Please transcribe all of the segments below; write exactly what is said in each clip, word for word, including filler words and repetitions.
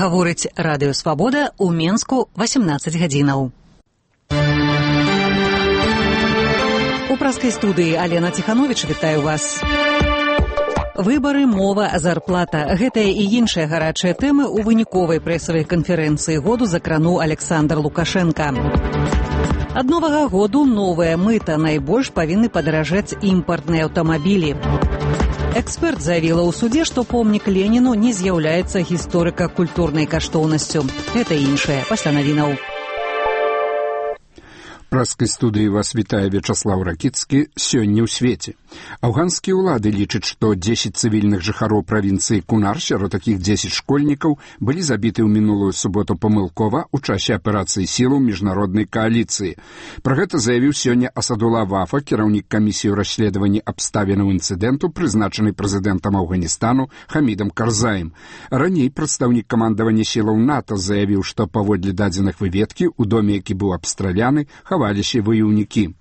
Гаворыць радыё Свабода ў Менску васемнаццаць гадзінаў. У праскай студыі Алена Ціхановіч вітаю вас. Выбары, мова, зарплата. Гэтая і іншыя гарачыя тэмы ў выніковай прэсавай канферэнцыі году закрануў Александр Лукашенко. Ад новага году новая мыта. Найбольш павінны падаражаць імпартныя аўтамабілі. Эксперт заявіла ў суде, што помнік Леніну не з'яўляецца гісторыка-культурнай каштоўнасцю. Гэта іншае пасля навінаў. Праскай студыі вас вітае Вячаслаў Ракіцкі. Сёння ў свеце. Афганскія ўлады лічаць, што дзесяць цывільных жыхароў правінцыі Кунар, сярод такіх дзесяць школьнікаў, былі забіты ў мінулую суботу памылкова ў часе аперацыі сілаў міжнароднай кааліцыі. Пра гэта заявіў сёння Асадулла Вафа, кіраўнік камісіі ў расследаванні абставінаў інцыдэнту, прызначаны прэзідэнтам Афганістану Хамідам Карзаем. Раней прадстаўнік камандавання сілаў НАТО заявіў, што паводле дадзеных выведкі ў доме, які быў абстраляны, хаваліся ваяўнікі.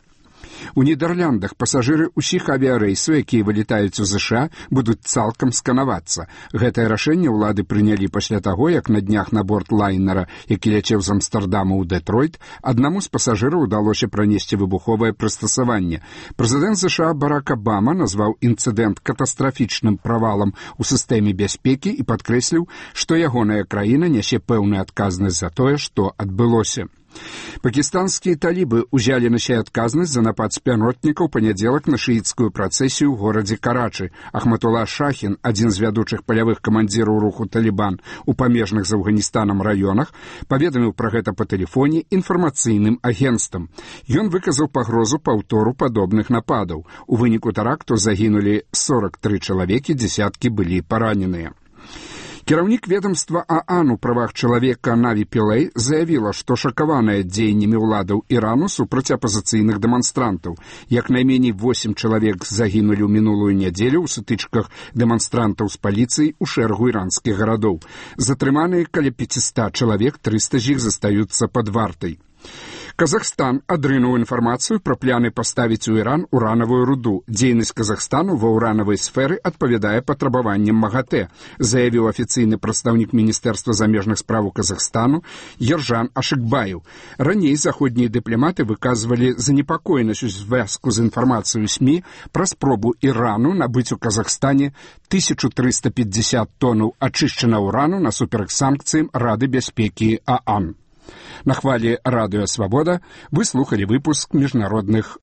У Нідерландах пасажыры ўсіх авіярэйсаў, якія вылетаюць у ЗША, будуць цалкам сканавацца. Гэтае рашэнне ўлады прынялі пасля таго, як на днях на борт лайнера, які ляцеў з Амстэрдама ў Дэтройт, аднаму з пасажыраў удалося пранесці выбуховае прыстасаванне. Прэзідэнт ЗША Барак Абама назваў інцыдэнт катастрафічным правалам у сістэме бяспекі і падкрэсліў, што ягоная краіна нясе пэўную адказнасць за тое, што адбылося. Пакістанскія талібы ўзялі на сябе адказнасць за напад спяротнікаў панядзелак на шыіцкую працэсію ў горадзе Карачы. Ахматулла Шахін, адзін з вядучых палявых камандзіраў руху Талібан у памежных з Афганістанам раёнах, паведаміў пра гэта па тэлефоне інфармацыйным агенцтвам. Ён выказаў пагрозу паўтору падобных нападаў. У выніку тэракту загінулі сорак тры чалавекі, дзесяткі былі параненыя. Кіраўнік ведомства ААН у правах чалавека Наві Пілэй заявіла, што шакаваная дзеяннямі ўладаў Ірану супраць апазіцыйных дэманстрантаў. Як найменей восем чалавек загінулі ў мінулую нядзелю ў сутычках дэманстрантаў з паліцыяй у шэрагу іранскіх гарадоў. Затрыманыя каля пяцьсот чалавек, трыста з іх застаюцца пад вартай. Казахстан адрынуў інфармацыю пра пляны паставіць у Іран уранавую руду. Дзейнасць Казахстану ва ўранавай сферы адпавядае патрабаванням МАГАТЭ, заявіў афіцыйны прадстаўнік Міністэрства замежных спраў Казахстану Ержан Ашыкбаев. Раней заходнія дыпламаты выказвалі занепакоенасць у звязку з інфармацыяй у СМІ пра спробу Ірану набыць у Казахстане тысячу трыста пятьдесят тоннаў ачышчанага ўрану насуперак санкцыям Рады бяспекі ААН. На хвалі радыё Свабода вы слухалі выпуск міжнародных